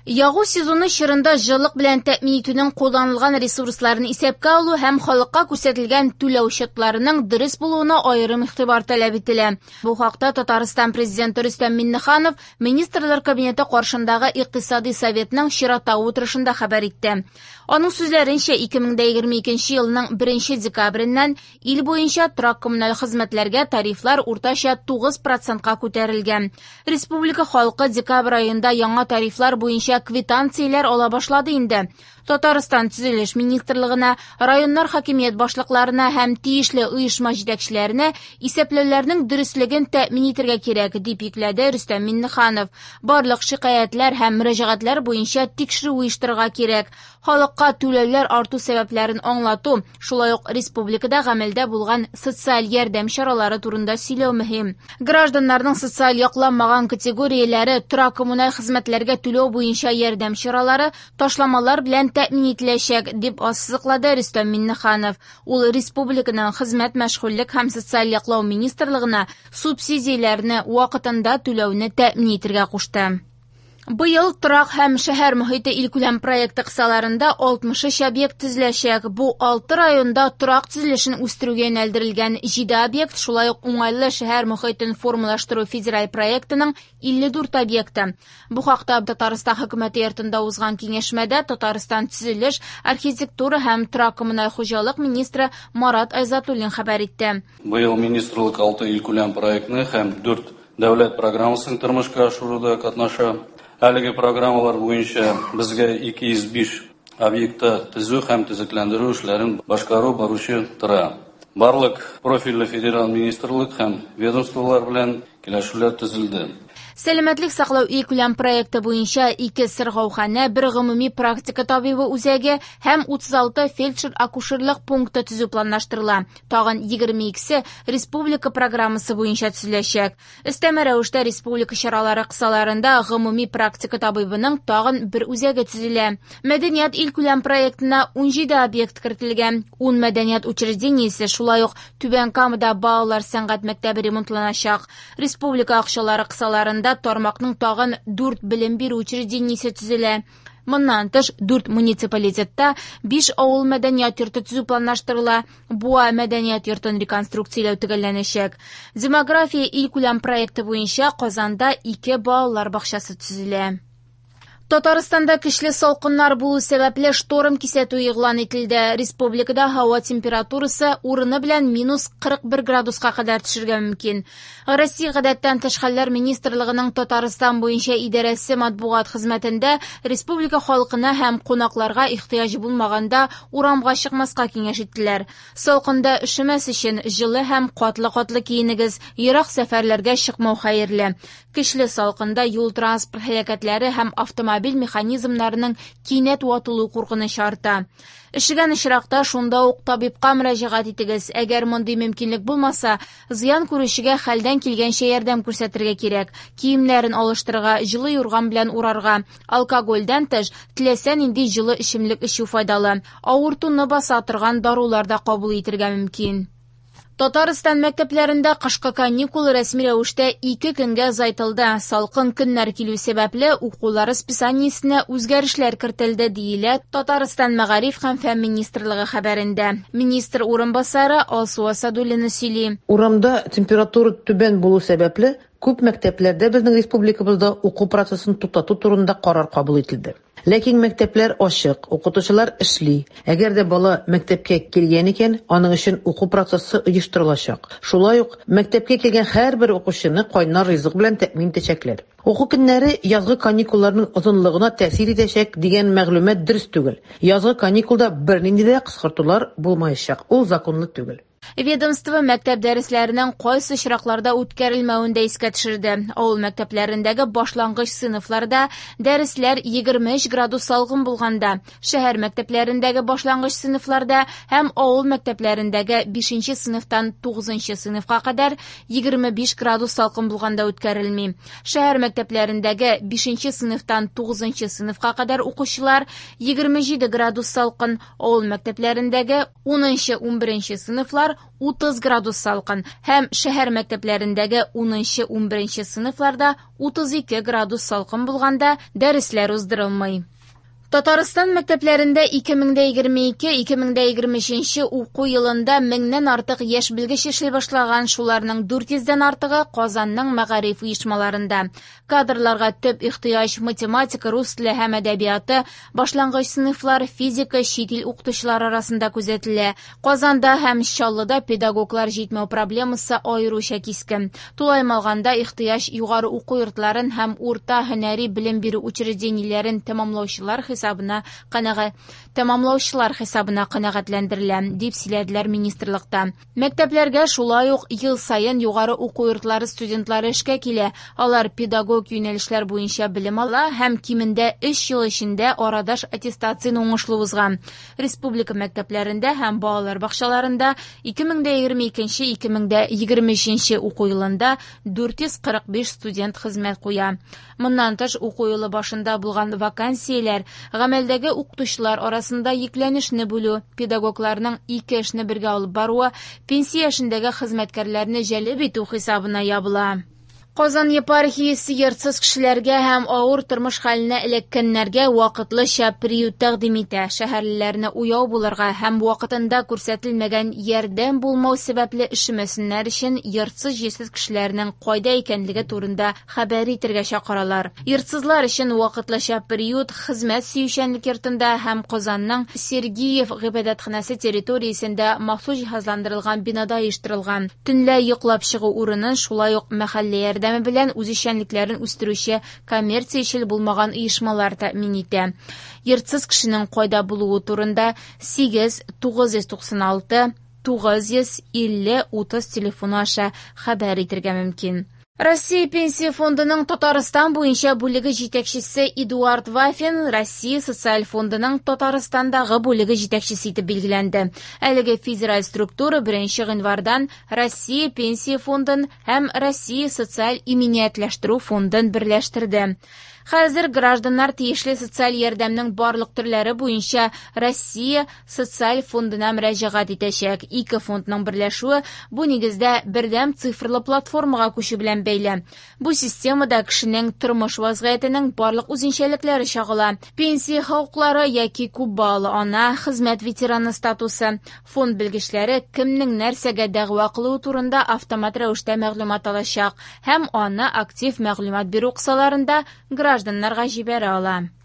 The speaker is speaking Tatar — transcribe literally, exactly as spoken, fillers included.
Ягу сезоны чорында җылылык белән тәэмин итүнең кулланылган ресурсларын исәпкә алу һәм халыкка күрсәтелгән түләү счетларының дөрес булуына аерым игътибар таләп ителә. Бу хакта Татарстан Президенты Рөстәм Миңнеханов Министрлар Кабинеты каршындагы Икътисади советның чираттагы утырышында хәбәр итте. Аның сүзләренчә, ике мең егерме икенче елның беренче декабреннән ил буенча торак-коммуналь хезмәтләргә тарифлар уртача тугыз процентка күтәрелгән. Республика халкы декабрь аенда яңа тарифлар буенча квитанцияләр ала башлады инде. Татарстан Төзелеш министрлыгына, районнар хакимият башлыкларына һәм тиешле оешма җитәкчеләренә исәпләүләрнең дөреслеген тәэмин итәргә кирәк, дип йөкләде Рөстәм Миңнеханов. Барлык шикаятьләр һәм мөрәҗәгатьләр буенча тикшерү оештырырга кирәк. Халыкка түләүләр арту сәбәпләрен аңлату, шулай ук республикада гамәлдә булган социаль ярдәм чаралары турында сөйләү мөһим. Гражданнарның социаль якланмаган категорияләре торак-коммуналь хезмәтләргә түләү буенча ярдәм чаралары ташламалар белән тәэмин ителәчәк, дип ассызыклады Рөстәм Миңнеханов. Ул республиканың хезмәт, мәшгульлек һәм социаль яклау министрлыгына субсидияләрне вакытында түләүне тәэмин итәргә кушты. Быел торак һәм шәһәр мөхите илкүләм проекты кысаларында алтмыш өч объект төзеләчәк. Бу алты районда торак төзелешен үстерүгә юнәлдерелгән җиде объект, шулай ук уңайлы шәһәр мөхитен формалаштыру федераль проектының илле дүрт объекты. Бу хакта Татарстан хөкүмәте йортында узган киңәшмәдә Татарстан төзелеш, архитектура һәм торак-коммуналь хуҗалык министры Марат Айзатуллин хәбәр итте. Быел министрлык алты илкүләм проектны һәм дүрт дәүләт программасын тормышка ашыруда катнаша. Әлеге программалар буенча безгә ике йөз биш объектта төзү һәм төзекләндерү эшләрен башкару баручы тора. Барлык профильле федераль министрлык һәм ведомстволар белән килешүләр төзелде. Сәламәтлек саклау илкүләм проекты буенча ике сырхауханә, бер гомуми практика табибы үзәге һәм утыз алты фельдшер-акушерлык пункты төзү планлаштырыла. Тагын егерме икесе республика программасы буенча төзеләчәк. Өстәмә рәвештә республика чаралары кысаларында гомуми практика табибының тагын бер үзәге төзелә. Мәдәният илкүләм проектына ун җиде объект кертелгән. Ун мәдәният учреждениесе, шулай ук Түбән Камада балалар сәнгать мәктәбе ремонтланачак. Республика акчалары кысаларында тармакның тагын дүрт белем бирү учреждениесе төзелә. Моннан тыш дүрт муниципалитетта биш авыл мәдәният йорты төзү планлаштырыла. Буа мәдәният йортын реконструкцияләү төгәлләнәчәк. Демография илкүләм проекты буенча Казанда ике балалар бакчасы төзелә. Татарстанда көчле салкыннар булу сәбәпле шторм кисәтү игълан ителде. Республикада һава температурасы урыны белән минус кырык бер градуска кадәр төшергә мөмкин. Россия гадәттән тыш хәлләр министрлыгының Татарстан буенча идарәсе матбугат хезмәтендә республика халкына һәм кунакларга ихтыяҗ булмаганда урамга чыкмаска киңәш иттеләр. Салкында өшемәс өчен җылы һәм катлы-катлы киенегез, ерак сәфәрләргә чыкмау хәерле. Көчле салкында юл транспорт һәлакәтләре һәм автомобиль механизмнарының кинәт ватылу куркынычы арта. Өшегән очракта шунда ук табибка мөрәҗәгать итегез. Әгәр мондый мөмкинлек булмаса, зыян күрүчегә хәлдән килгәнчә ярдәм күрсәтергә кирәк. Киемнәрен алыштырырга, җылы юрган белән урарга. Алкогольдән тыш, теләсә нинди җылы эчемлек эчү файдалы. Авыртуны баса торган дарулар да кабул итергә мөмкин. Татарстан мәктәпләрендә кышкы каникул рәсми рәвештә ике көнгә озайтылды. Салкын көннәр килү сәбәпле укулар расписаниесенә үзгәрешләр кертелде, диелә Татарстан Мәгариф һәм фән министрлыгы хәбәрендә. Министр урынбасары Алсу Асадуллина сөйли. Урамда температура түбән булу сәбәпле күп мәктәпләрдә безнең республикабызда уку процессын туктату турында карар кабул ителде. Ләкин мәктәпләр ачык, укытучылар эшли. Әгәр дә бала мәктәпкә килгән икән, аның өчен уку процессы оештырылачак. Шулай ук мәктәпкә килгән һәрбер укучыны кайнар ризык белән тәэмин итәчәкләр. Уку көннәре язгы каникулларның озынлыгына тәэсир итәчәк дигән мәгълүмат дөрес түгел. Язгы каникулда бернинди дә кыскартулар булмаячак. Ул законлы түгел. Ведомство мәктәп дәресләренең кайсы очракларда үткәрелмәвен дә искә төшерде. Авыл мәктәпләрендәге башлангыч сыйныфларда дәресләр егерме өч градус салкын булганда, шәһәр мәктәпләрендәге башлангыч сыйныфларда һәм авыл мәктәпләрендәге бишенче сыйныфтан тугызынчы сыйныфка кадәр егерме биш градус салкын булганда үткәрелми. Шәһәр мәктәпләрендәге бишенче сыйныфтан тугызынчы сыйныфка кадәр укучылар егерме җиде градус салкын, авыл мәктәпләрендәге унынчы, унберенче сыйныфлар сыйныфлар утыз градус салкын һәм шәһәр мәктәпләрендәге унынчы-ун беренче сыйныфларда утыз ике градус салкын булганда дәресләр уздырылмый. Татарстан мәктәпләрендә ике мең дә егерме ике - ике мең дә егерме өченче уку елында меңнән артык яшь белгеч эшли башлаган, шуларның дүрт йөздән артыгы Казанның мәгариф оешмаларында. Кадрларга төп ихтыяҗ математика, рус теле һәм әдәбияты, башлангыч сыйныфлар, физика, чит ил укытучылары арасында күзәтелә. Казанда һәм Чаллыда педагоглар җитмәү проблемасы аеруча кискен. Тулаем алганда ихтыяҗ югары уку йортларын һәм урта һөнәри белем бирү учреждениеләрен тәмамлаучылар хисабына канәгать тәмамлаучылар хисабына канәгатьләндерелә, дип сөйләделәр министрлыкта. Мәктәпләргә шулай ук ел саен югары уку йортлары студентлары эшкә килә. Алар педагог юнәлешләр буенча белем ала һәм кимендә өч ел эчендә арадаш аттестацияне уңышлы узган. Республика мәктәпләрендә һәм балалар бакчаларында ике мең дә егерме икенче - ике мең дә егерме өченче уку елында дүрт йөз кырык биш студент хезмәт куя. Моннан тыш уку елы башында булган вакансияләр гамәлдәге укытучылар арасында йөкләнешне бүлү, педагогларның ике эшне бергә алып баруы, пенсия яшендәге хезмәткәрләрне җәлеп итү хисабына ябыла. Казан епархиясе йортсыз кешеләргә һәм авыр тормыш хәленә эләккәннәргә вакытлыча приют тәкъдим итә. Шәһәрлеләрне уяу булырга һәм вакытында күрсәтелмәгән ярдәм булмау сәбәпле өшемәсеннәр өчен йортсыз-җирсез кешеләрнең кайда икәнлеге турында хәбәр итәргә чакыралар. Йортсызлар өчен вакытлыча приют хезмәт сөючәнлек йортында һәм Казанның Сергиев гыйбадәтханәсе территориясендә махсус җиһазландырылган бинада оештырылган. Төнлә йоклап чыгу урынын шулай ук мәхәллә ярдәме белән үзешчәнлекләрен үстерүче коммерциячел булмаган оешмалар тәэмин итә. Йортсыз кешенең кайда булуы турында сигез тугыз йөз туксан алты тугыз йөз илле утыз телефоны аша хәбәр итәргә мөмкин. Россия Пенсия фондының Татарстан буенча бүлеге җитәкчесе Эдуард Вафин Россия Социаль фондының Татарстандагы бүлеге җитәкчесе итеп билгеләнде. Әлеге федераль структура беренче гыйнвардан Россия Пенсия фондын һәм Россия Социаль иминиятләштерү фондын берләштерде. Хәзер гражданнар тиешле социаль ярдәмнең барлык төрләре буенча Россия Социаль фондына мөрәҗәгать итәчәк. Ике фондның берләшүе бу нигездә бердәм цифрлы платформага күчү белән бәйле. Бу системада кешенең тормыш вазгыятенең барлык үзенчәлекләре чагыла. Пенсия хокуклары яки күп балалы ана, хезмәт ветераны статусы. Фонд белгечләре кемнең нәрсәгә дәгъва кылуы турында автомат рәвештә мәгълүмат алачак һәм аны актив мәгълүмат бирү кысаларында гражданнарга җибәрә ала.